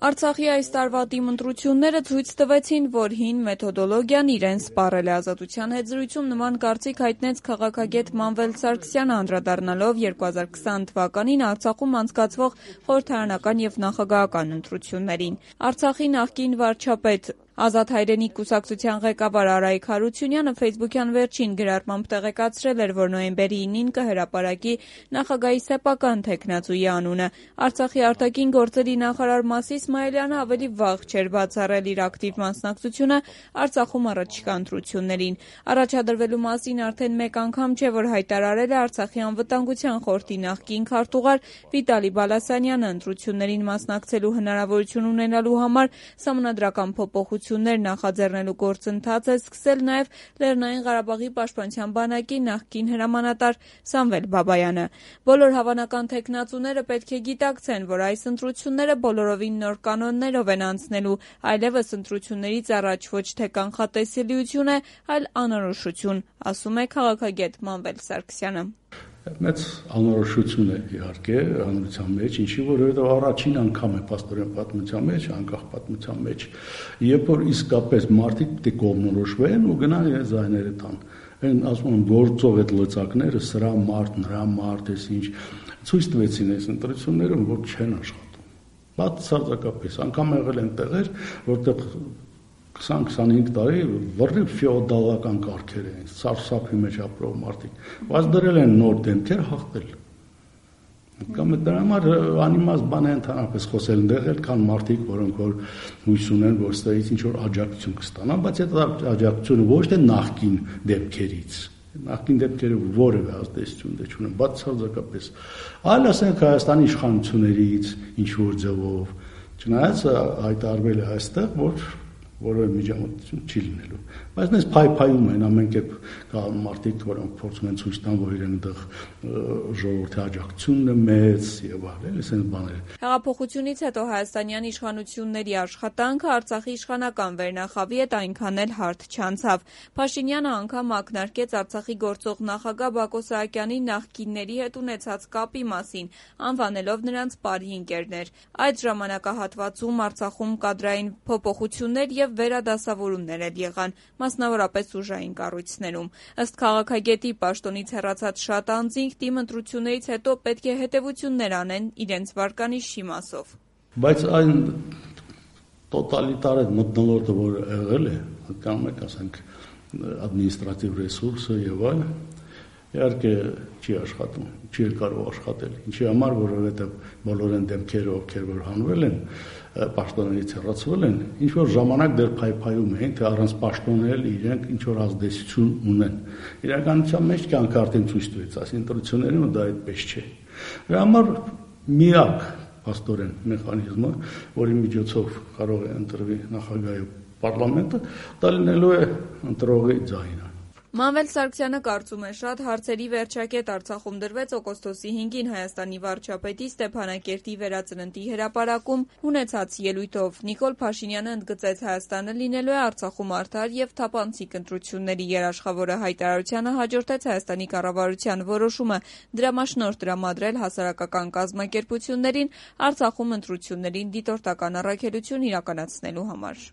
Արցախի այս տարվա ՏԻՄ ընտրությունները ցույց տվեցին, որ հին մեթոդոլոգիան իրեն սպառել է։ Ազատության հետ զրույցում նման կարծիք հայտնեց քաղաքագետ Մանվել Սարգսյանը, անդրադառնալով 2020 թվականին Արցախում անցկացվող խորհրդարանական և նախագահական ընտրություններին։ Արցախի նախկին վարչապետ Ազատ հայրենիք կուսակցության ղեկավար Արայիկ Հարությունյանը ֆեյսբուքյան վերջին գրառմամբ տեղեկացրել էր, որ նոյեմբերի 9-ին կհրապարակի նախագահի սեփական թեկնածուի անունը։ Արցախի արտաքին գործերի նախարար Մասի Իսմայելյանը ավելի վաղ չէր բացառել իր ակտիվ մասնակցությունը Արցախում առաջիկա ընտրություններին։ Առաջադրվելու մասին արդեն մեկ անգամ չէ, որ հայտարարել է Արցախի անվտանգության խորհրդի նախկին քարտուղար Վիտալի Բալասանյանը։ Ընտրություններին մասնակցելու հնարավորություն ունենալու համար սահմանադրական փոփոխություններ նախաձեռնելու գործընթաց է սկսել նաև Լեռնային Ղարաբաղի պաշտպանության բանակի նախկին հրամանատար Սամվել Բաբայանը։ Բոլոր հավանական թեկնածուները պետք է գիտակցեն, որ այս ընտրությունները բոլորովին նոր կանոններով են անցնելու, այլևս ընտրություններից առաջ ոչ թե կանխատեսելիություն է, այլ անորոշություն, ասում է քաղաքագետ Մանվել Սարգսյանը։ Մեծ անորոշություն է իհարկե հանրության մեջ, ինչի որովհետև առաջին անգամ է փաստորեն պատմության մեջ, անկախ պատմության մեջ, երբ որ իսկապես մարդիկ պետք է կողմնորոշվեն ու գնան իրենց ձայները տան։ Այն ասում են գործող այդ լծակները, սրա մարդ, նրա մարդ, էս ինչ ցույց տվեցին այս ընտրություններում, որ չեն աշխատում։ Բացարձակապես, անգամ եղել են տեղեր, որտեղ 20-25 տարի վռի ֆեոդալական կարգեր են, սարսափի մեջ ապրող մարդիկ, բայց դրել են նոր դեմքեր, հաղթել։ Կամ դրա համար անիմաստ բան է ընդհանրապես խոսել, ընդեղել կան մարդիկ, որոնք որ հույս ունեն, որ ստեղից ինչ-որ աջակցություն կստանան, բայց այդ աջակցությունը ոչ թե նախկին դեպքերից, նախկին դեպքերը որևէ ազդեցություն չունեն, բացարձակապես, այլ ասենք Հայաստանի իշխանություններից ինչ-որ ձևով, չնայած հայտարարվել է այստեղ, որ որևէ միջամտություն չի լինելու, բայց նենց փայփայում են ամեն կերպ կա մարդիկ, որոնք փորձում են ցույց տան, որ իրենք դեռ ժողովրդի աջակցությունն է մեծ եւ այլն, այսպես բաներ։ Հեղափոխությունից հետո հայաստանյան իշխանությունների աշխատանքը Արցախի իշխանական վերնախավի հետ այնքան էլ հարթ չանցավ։ Փաշինյանը անգամ ակնարկեց Արցախի գործող նախագահ Բակո Սահակյանի նախկինների հետ ունեցած կապի մասին, անվանելով նրանց բարի ընկերներ։ Այդ ժամանակահատվածում Արցախում կադրային փոփոխություններ եւ վերադասավորումներ էլ եղան, մասնավորապես ուժային կառույցներում։ Ըստ քաղաքագետի, պաշտոնից հեռացած շատ անձինք ՏԻՄ ընտրություններից հետո պետք է հետևություններ անեն իրենց վարկանիշի մասով։ Բայց այն տոտալիտար մթնոլորտը, որ եղել է, կամ եք ասենք ադմինիստրատիվ ռեսուրսը եւ այլն, իհարկե չի աշխատում, չի կարող աշխատել։ Ինչի համար, որովհետեւ բոլոր այն դեմքերը, ովքեր որ հանվել են, պաշտոններից հեռացվել են, ինչ որ ժամանակ դեռ փայփայում էին, թե առանց պաշտոնել իրենք ինչ որ ազդեցություն ունեն։ Իրականության մեջ կյանքը արդեն ցույց տվեց, այս ընտրություններում դա այդպես չէ։ Դրա համար միակ փաստորեն մեխանիզմը, որի միջոցով կարող է ընտրվի նախագահի պարլամենտը, դա լինելու է ընտրողի ձայնը։ Մանվել Սարգսյանը կարծում է, շատ հարցերի վերջակետ Արցախում դրվեց օգոստոսի 5-ին Հայաստանի վարչապետի Ստեփանակերտի վերածննդի հրապարակում ունեցած ելույթով։ Նիկոլ Փաշինյանը ընդգծեց, Հայաստանը լինելու է Արցախում արդար եւ թափանցիկ ընտրությունների երաշխավորը։ Հայտարարությանը հաջորդեց Հայաստանի կառավարության որոշումը դրամաշնորհ տրամադրել հասարակական կազմակերպություններին Արցախում ընտրություններին դիտորդական առաքելություն իրականացնելու համար։